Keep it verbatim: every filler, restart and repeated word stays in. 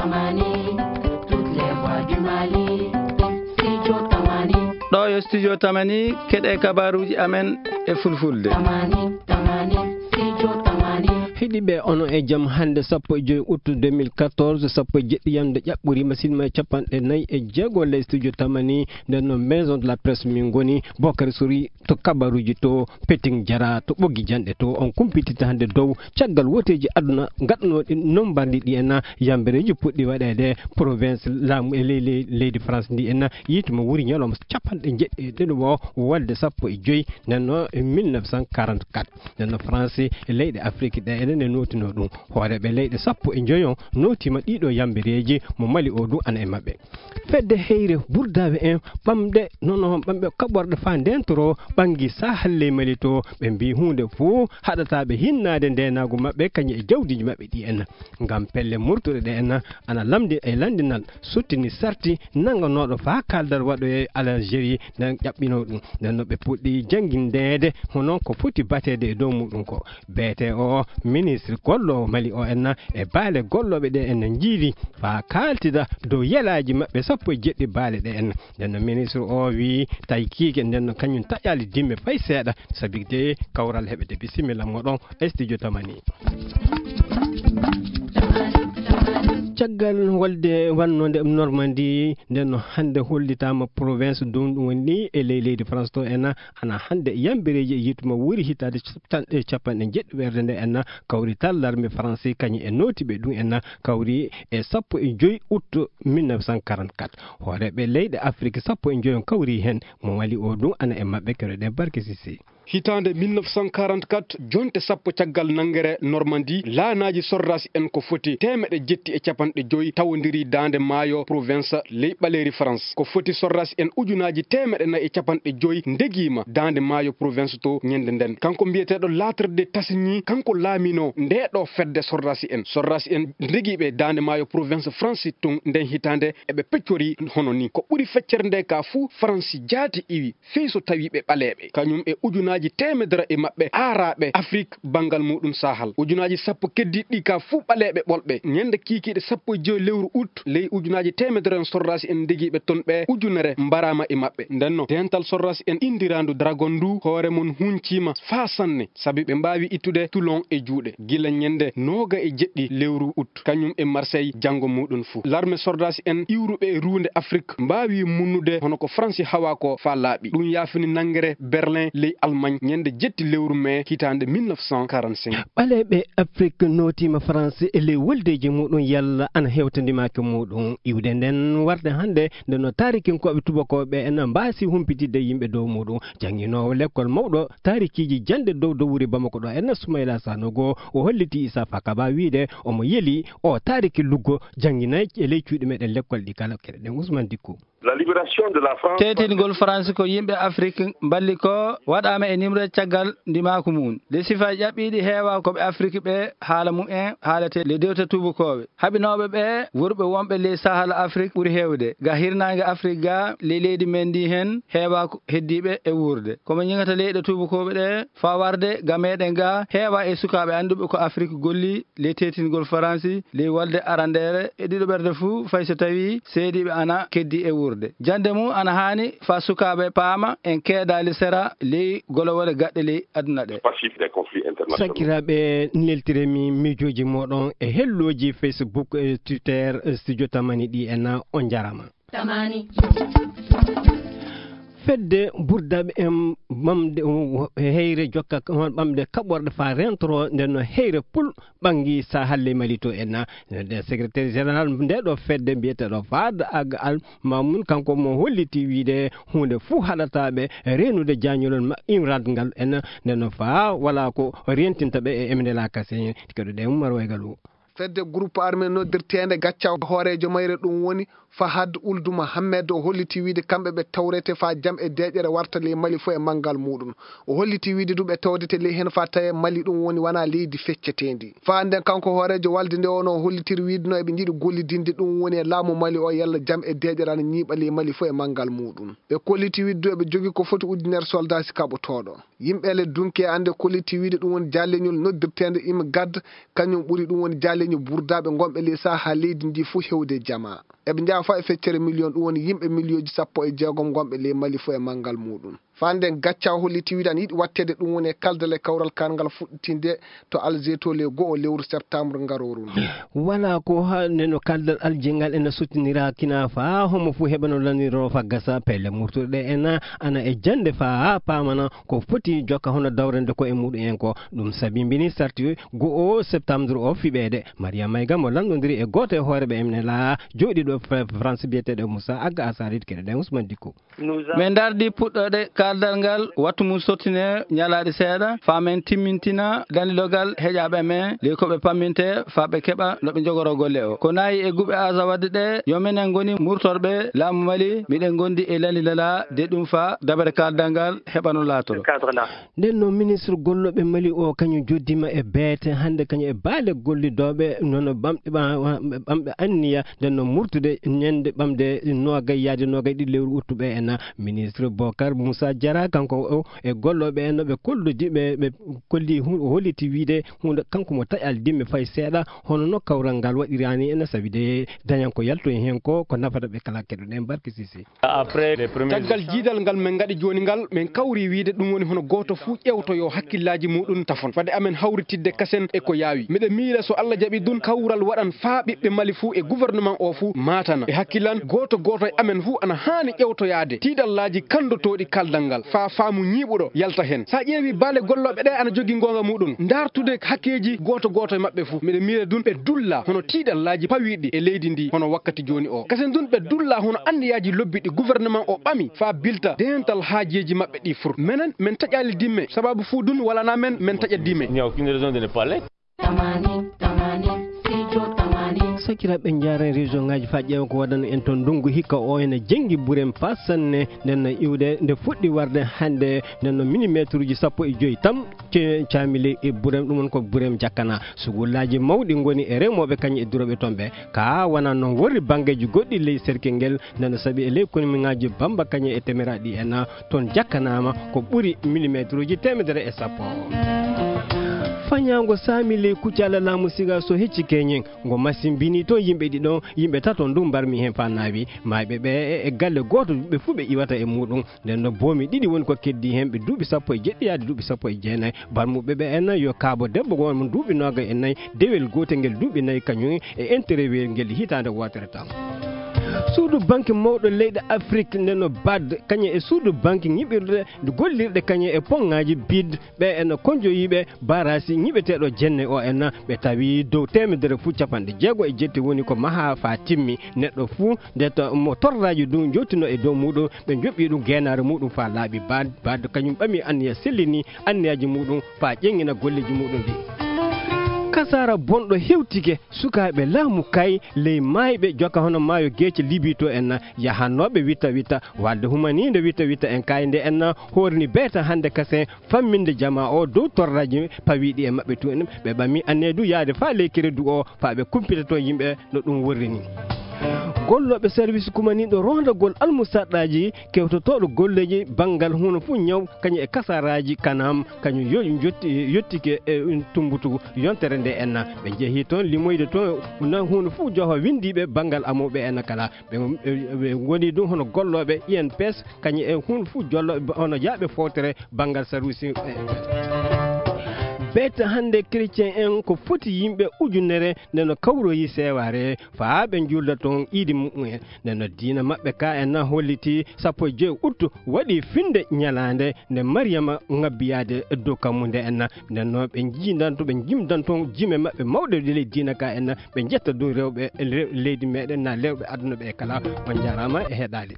Mali, toutes les voix du Mali. Studio Tamani. Ɗo yo Studio Tamani, keɗe kabaruuji amen e Fulfulde. Tamani, Tamani, Studio Tamani. Heɗiiɓe, onon e jam. Hannde sappo e joy août deux mille quatorze, sappo e jeɗɗi yamde ƴaɓɓoriima, sinno e capanɗe nayi e jeego ley Studio Tamani, nden no Maison de la Presse min ngoni. Bokari Sori to kabaruuji to, Peting Jara to ɓoggi janɗe to, on kumpititta hannde dow caggal wooteeji aduna gaɗanooɗi nombardi ɗi en, yambereeji puɗɗi waɗeede province laamu e ley, ley, leydi France ndi en, yiite mo wuuri ñalawma capanɗe jeɗɗi e ɗiɗo o wolde sappo e joy, nden no mille neuf cent quarante-quatre. Nden no France e leyɗe Afrique ɗe enen e nootinoo ɗum. Hooreeɓe leyɗe sappo e joy on nootiima ɗiɗo yambereeji, mo Mali o ɗum ana e maɓɓe. Fedde heyre burdaaɓe en ɓamde, nono ɓamɓe kaɓorɗe faa ndentoro ɓanngi Sahel ley Mali to, ɓe mbii huunde fof haɗataa ɓe hinnaade ndeenaagu maɓɓe kañum e jawdiiji maɓɓe ɗi en. Ngam pelle murtuɗe ɗe en ana lamndi e lanndinal sottini sarti nannganooɗo faa kaaldal waɗoye Algérie nden ƴaɓɓinoo ɗum. Nden no ɓe puɗɗi janngindeede hono ko foti bateede e dow muɗum ko. Beete o ministre golloowo Mali o en e baale gollooɓe ɗe en njiili faa kaaltida dow yelaaji maɓɓe sappo e jeɗɗi baale ɗe en. Nden no ministre o wii tawi kiike nden no kañum taƴaali dimme fay seeɗa, sabi de kawral heɓete. Bisimilla moɗon e Studio Tamani. Caggal wolde wannode Normandie, nden no hannde hollitaama province ɗum ɗum woni ni e ley leydi France to en, ana hannde yambereeji e yiite mo wuuri hitaande cappanɗe, capanɗe jeɗɗi weerde nde en, kawrital larme France kañum e nootiiɓe ɗum en kawri e sappo e joy août mille neuf cent quarante-quatre. Hooreeɓe leyɗe Afrique sappo e joy on kawri heen, mo Mali o ɗum ana e maɓɓe, keɗoɗen Barke Sisi. Hitaande mille neuf cent quarante-quatre, jonte sappo caggal nanngere Normandie, laanaaji sordaasi en ko foti teemeɗe jetti e capanɗe joy tawondirii daande maayo province ley ɓaleeri France. Ko foti sordaasi en ujunaaji teemeɗe nayi e capanɗe joy ndegiima daande maayo province to ñande nden. Kanko mbiyeteeɗo Lattre de Tassigny, kanko laaminoo ndee ɗoo fedde sordaasi en. Sordaasi en ndegiiɓe daande maayo province France tun nden hitaande eɓe peccori hono ni. Ko ɓuri feccere nde ka fuu France jaati iwi. Fii so tawii ɓe ɓaleeɓe, kañum e ujunaaji teemedere e maɓɓe aaraaɓe Afrik banngal muuɗum Sahel. Ujunaaji sappo keddiiɗi ɗi ka fuu ɓaleeɓe ɓolɓe. Ñande kiikiiɗe sappo e joy lewru août, ley ujunaaji teemedere en sordaasi en ndegiiɓe ton ɓe ujunere mbaraama e maɓɓe. Ndenno, deental sordaasi en inndiraandu Dragon ndu, hoore mum hunciima faa sanne, sabi ɓe mbaawi ittude Toulon e juuɗe. Gila ñande nooga e jeɗɗi lewru août, kañum e Marseille janngo muuɗum fuu. Larme sordaasi en iwruɓe e ruunde Afrik mbaawi munnude hono ko Faransi hawaa ko faa laaɓi. Ɗum yaafini nanngere Berlin ley Allemagne ñande jetti lewru mee hitaande mille neuf cent quarante-cinq. Ɓaleeɓe Afrik nootiima France e ley woldeeji muuɗum yalla ana hewtondii maake muuɗum. Iwde nden warde hannde nde no taarikinkooɓe tubakooɓe en mbaasi humpitidde yimɓe dow muuɗum. Jannginoowo lekkol mawɗo taarikiiji jannde dow dowri Bamako ɗo en Soumaïla Sanogo o hollitii Issa Fakaba wiide omo yeli o taariki luggo jannginay e ley cuuɗi meɗen lekkol ɗi kala. Keɗoɗen Ousmane Dikko. La libération de la France. Teetingol France ko yimɓe Afrik mballi ko waɗaama e nimre caggal ndimaaku mum. Nde sifa ƴaɓɓiiɗi heewa ko ɓe Afrik ɓe haala mum en haalete le dewta tubakooɓe. Haɓinooɓe ɓe wurɓe wonɓe ley Sahel Afrik ɓuri heewde. Ga hirnaange Afrik ga ley leydi men ndi hen heewa ko heddiiɓe e wuurde. Ko mo ñiŋata leyɗe tubakooɓe ɗe faa warde ga meɗen ga heewa e sukaaɓe annduɓe ko Afrik golli ley teetingol Faransi, ley wolde arandeere e ɗiɗo ɓerde fuu, fay so tawii seediiɓe ana keddii e wuurde. Jannde mum ana haani faa sukaaɓe paama en keedaali sera ley golowole gaɗɗe ley aduna ɗe. Passif des conflits internationaux. Sakiraaɓe, neltiremi miijooji mooɗon e hellooji Facebook e Twitter, Studio Tamani ɗi en, on njaaraama. Tamani. Fedde burdaaɓe en ɓamde heyre jokka ɓamde kaɓorɗe faa rentoro nden no heyre pul ɓanngi Sahel ley Mali to en. Nden secrétaire général nde ɗo fedde mbiyeteeɗo Fahad Ag Al Mamoun, kanko mo holliti wiide huunde fuu haɗataa ɓe reenude jaañolol ma-, imrad ngal en, nden no faa walaa ko rentinta ɓe e M N L A K C. Keɗoɗen Umar Waygal o. Fedde groupe armé noddirteende Gaccaw hooreejo mayre ɗum woni Fahad Ould Mohamed o holliti wiide kamɓe ɓe tawrete faa jam e deeƴere warta ley Mali fof e manngal muuɗum. O holliti wiide ɗum ɓe tawdete ley heen faa tawee Mali ɗum woni wanaa leydi fecceteendi. Faa nden kanko hooreejo walde nde o no hollitiri wiide no eɓe njiɗi gollidinde ɗum woni e laamu Mali o yalla jam e deeƴere ana ñiiɓa ley Mali fof e manngal muuɗum. Ɓe kolliti wiide ɗum eɓe jogii ko foti ujunere soldaasi kaɓotooɗo. Yimɓe le dunke ande kolliti wiide ɗum woni jaalleñol noddirteende IMGAD, kañum ɓuri ɗum woni jaalleñol burdaaɓe ngonɓe ley saha leydi ndi fuu hewde jama. Eɓe njaha faa e feccere miliyon, ɗum woni yimɓe miliyooji sappo e jeegom ngonɓe ley Mali fuu e manngal muuɗum. Faa nden gacca holliti wiide ana yiɗi watteede ɗum woni e kaldal e kawral karngal fuɗɗitinde to Alger to le go'o lewru septembre ngarooru ndu. Wala ko ha neno kaldal Alger ngal ena sottinira kina faa homo fuu heɓano laniroo fa gasa pelle murtuɗe ena ana e jande faa paamana ko foti jokka hono dawrande ko e muɗum en ko. Ɗum sabi mbini sarti go'o septembre o fiɓeede. Maria Mayga mo lanndondiri e gooto e hooreɓe M N L A jooɗiiɗo Fra-, France biyeteeɗo Moussa Agga Asarit keɗoɗen Ousmane Dicko. Min ndardi puɗɗoode kaaldal ngal wattu mum sottine ñalaaɗe seeɗa faa min timmintina dandilogal heƴaaɓe men ley ko ɓe pamminte faa ɓe keɓa no ɓe njogoroo golle o. Ko nayi e guɓe aasa waɗde ɗe yo minen ngoni murtorɓe laamu Mali, miɗen ngondi e landi nela de ɗum faa dabare kaaldal ngal heɓano laatoro. Nden noon, ministre gollooɓe Mali o, kañum joddiima e beete hannde, kañum e baale gollidooɓe, noon ɓamɓe, ɓa-, ɓamɓe anniya, nden noon murtude ñande ɓamde noogay yaade noogay ɗiɗi lewru uttu ɓe en. Ministre Bokar Moussa Diarra, kanko o e gollooɓe en, ɓe kollodi, ɓe, ɓe kolli hu-, holliti wiide huunde, kanko mo taƴal dimme fay seeɗa, hono no kawral ngal waɗiraani en, sabi de dañan ko yaltoyi heen ko, ko nafata ɓe kala. Keɗoɗen Barke Sise. Après les premiers Caggal échanges, jiidal ngal min ngaɗi jooni ngal, min kawri wiide ɗum woni hono gooto fuu ƴeewtoyoo hakkillaaji muuɗum tafon. Fade amen hawritidde kasen e ko yaawi. Miɗo miila so Allah jaɓi ɗum, kawral waɗan faa ɓiɓɓe Mali fuu e gouvernement o fuu maatana. E hakkilan gooto gooto e amen fuu ana haani ƴeewtoyaade tiiɗallaaji kanndotooɗi kaaldal ngal faa faamu ñiiɓuɗo yalta heen. Sa ƴeewi baale gollooɓe ɗe ana jogii ngoonga muuɗum, ndaartude hakkeeji gooto gooto e maɓɓe fuu. Miɗo miila ɗum ɓe dulla hono tiiɗallaaji pawiiɗi e leydi ndi hono wakkati jooni o. Kasen ɗum ɓe dulla hono anniyaaji lobbiɗi gouvernement o ɓami faa bilta deental haajeeji maɓɓe ɗi fur. Menen, min taƴaali dimme, sababu fuu ɗum walana men, min taƴa dimme. Il n'y a aucune raison de ne pas l'être. Tamani, tamani, studio tamani. Sakiraaɓe, njaaren région ngaji faa ƴeewa ko waɗano en toon ndungu hikka o ene jengi burem faa sanne, nden no iwde nde fuɗɗi warde hannde, nden no millimetre uji sappo e joy tam. Ce-, caamili e Burem, ɗum woni ko Burem Jakkana. Sugullaaji mawɗi ngoni e remooɓe kañum e durooɓe toon ɓe. Ka wonaa noon worri banngeeji goɗɗi ley serkel ngel, nana saɓi e ley komiŋaaji Bamba kañum e Temeraaɗi en, toon jakkanaama ko ɓuri millimetre uji teemedere e sappo. Fañaango saami ley kuccaala laamu Siga so hecci keñen, ngo masimbini toon yimɓe ɗiɗo, yimɓe tato ndu mbarmi heen faa naawi. Maayɓe ɓe e, e galle gooto ɓe fuu ɓe iwata e muuɗum. Nden no boomi ɗiɗi woni ko keddii heen, ɓe duuɓi sappo e jeɗɗi yaade duuɓi sappo e jeenayi. Barmuɓe ɓe en yo kaabo debbo won mo duuɓi noogay e nayi, dewel gootel ngel duuɓi nayi kañum e interview ngel hitaande wootere tan. Suudu banque mawɗo leyɗe Afrik nden no bad, kañum e suudu banque ñiɓirɗe gollirɗe kañum e poŋŋaaji bid, ɓe en konjoyiiɓe barasi ñiɓeteeɗo jenne o en, ɓe tawi dow teemedere fuu capanɗe jeego e jetti woni ko maha faa timmi. Neɗɗo fuu nde to mo torraaji ɗum njottinoo e dow muuɗum, ɓe njoɓɓi ɗum geenaare muuɗum faa laaɓi. Baad, baad kañum ɓami anniya sellini anniyaaji muuɗum faa ƴeŋŋina golleeji muuɗum ɗi. Kasaara bonɗo hewtike sukaaɓe laamu kay ley maayɓe jokka hono maayo geece Libi to en, yahannooɓe witta witta, walde humaniinde witta witta en kay nde en hoorini beeta hannde kasen famminde jamaa o dow torraaji pawiiɗi e maɓɓe tun. Ɓe ɓami anniya du yaade faa ley keredu o faa ɓe kumpita toon yimɓe no ɗum worri ni. Gollooɓe service kumaniiɗo roondagol almusaɗɗaaji kewtotooɗo golleeji banngal huno fuu ñaw kañum e kasaraaji kanam kañum yo-, yotti-, yottike e tumbutugol yontere nde enna. Ɓe njehii toon limoyde toon na huno fuu joho winndiiɓe banngal amooɓe enna kala. Ɓe, ɓe, ɓe ngoni ɗum hono gollooɓe I N P S, kañum e huun fof jollo, hono yaaɓe fowtere banngal saruusi. Beete hannde chrétien en ko foti yimɓe ujunere nde no kawroyi seewaare faa ɓe njuulda toon iidi mumen. Nde no diina maɓɓe ka en na holliti sappo e joy ut waɗi finde ñalaande nde Mariyama ŋabbiyaade e dow kammu nde en na. Nden noon ɓe njiidanto, ɓe njimdanto jime maɓɓe mawɗe e ley diina ka en, ɓe njetta dow rewɓe le-, leydi meɗen, na rewɓe aduna ɓe kala. On njaaraama e heɗaade.